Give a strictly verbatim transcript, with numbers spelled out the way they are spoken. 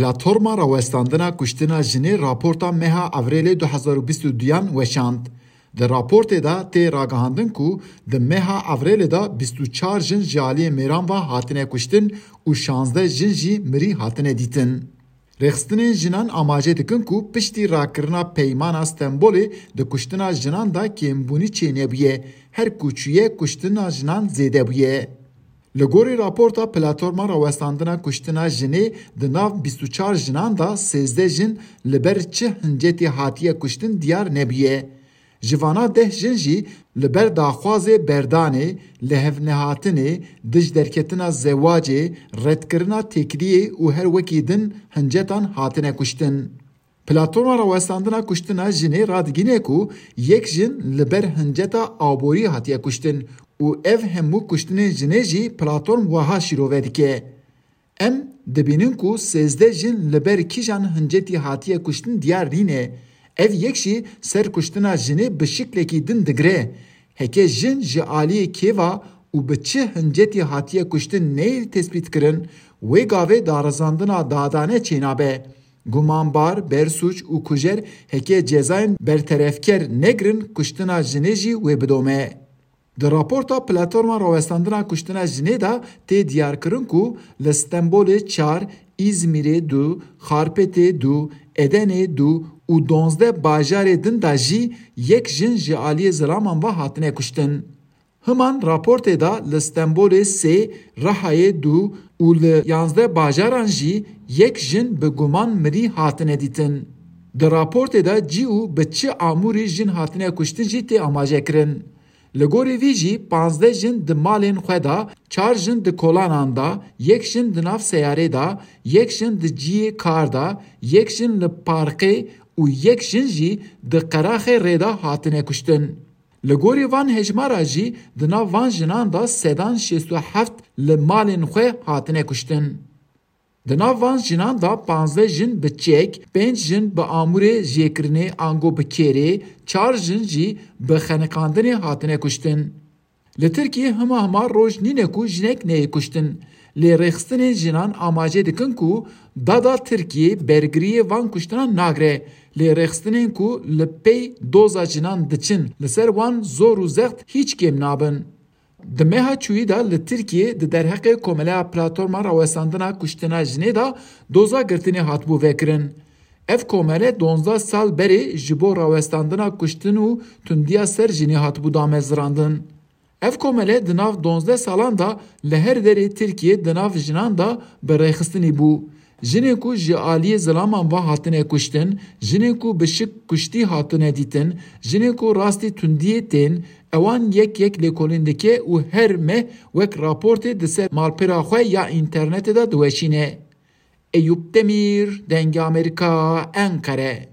Platforma Rawestandina Kuştina Jinê raporta meha Evrêlê du hezar û bîst û duyan weşand. Di raportê de tê ragihandin ku di meha Evrêlê de bîst û çar jin ji aliyê mêran ve hatine kuştin û şazdeh jin jî mirî hatine dîtin. Rêxistinên jinan amaje dikin ku piştî rakirina Peymana Stenbolê di kuştina jinan de kêmbûnî çênebûye, her ku çûye kuştina jinan zêde bûye. Li gorî raporta Platforma Rawestandina Kuştina Jinê, di nav bîst û çar jinan de sêzdeh jin li ber çi hincetî hatiye kuştin diyar nebûye. Ji vana deh jin jî li ber daxwazê berdanê, lihevnehatinê, dij derketina zewacê, redkirina têkiliyê û her wekî din hincetan hatine kuştin. Platforma Rawestandina Kuştina Jinê radigihîne ku yek jin li ber hinceta aborî hatiye kuştin û ev hemû kuştinên jinê jî platform wiha şîrove dike: Em dibînin ku sêzdeh jin li ber kîjan hincetî hatiye kuştin diyar nîne. Ev yek jî ser kuştina jinê bi şiklekî din digire. Heke jin ji aliyê kê ve û bi çi hincetî hatiye kuştin neyê tespîtkirin, wê gavê darizandina dadane çênabe. Gumanbar, bersûc û kujer heke cezayên berterefker negirin, kuştina jinê jî wê bidome. Di raporta Platforma Rawestandina Kuştina Jinê de tê diyarkirin ku li Stenbolê çar, Îzmîrê du, Xarpêtê du, Edenê du û duwazdeh bajarê din de jî yek jin ji aliyê zilaman ve hatine kuştin. Himan raportê de li Stenbolê sê, Rihayê du û li yanzdeh bajaran jî yek jin bi guman mirî hatine dîtin. Di raportê de cî û bi çi amûrî jin hatine kuştin jî tê amaje kirin. Li gorî vî jî panzdeh jin di malên xwe de, çar jin di kolanan de, yek jin di nav seyarê de, yek jin di cihê kar de, yek jin li parkê û yek jin jî di qeraxê rê de hatine kuştin. Li gorî van hejmara jî di nav van jinan de sedan şêst û heft li malên xwe hatine kuştin. Di nav van jinan de panzdeh jin bi çek, pênc jin bi amûrê jêkirinê ango bi kêrê, çar jin jî bi xeniqandinê hatine kuştin. Li Tirkiyê hima hima roj nîne ku jinek neyê kuştin. Lê rêxistinên jinan amaje dikin ku dada Tirkiyê bergiriyê van kuştinan nagire. Lê rêxistinên ku li pey doza jinan diçin, li ser wan zor û zext hîç kêm nabin. Di meha çûyî de li Tirkiyê di derheqê Komeleya Platforma Rawestandina Kuştina Jinê de doza girtinê hatibû vekirin. Ev komele duwazdeh sal berê ji bo rawestandina kuştin û tundiya ser jinê hatibû damezirandin. Ev komele di nav duwazdeh salan de li her derê Tirkiyê di nav jinan de bi rêxistinî bû. Jinên ku ji aliyê zilaman ve hatine kuştin, jinên ku bi şik kuştî hatine dîtin, jinên ku rastî tundiyê tên, ewan yek yek lêkolîn dike û her meh wek raportê di ser malpera xwe ya înternetê de diweşîne. Eyûp Demîr, Dengê Amerîka, Enqere.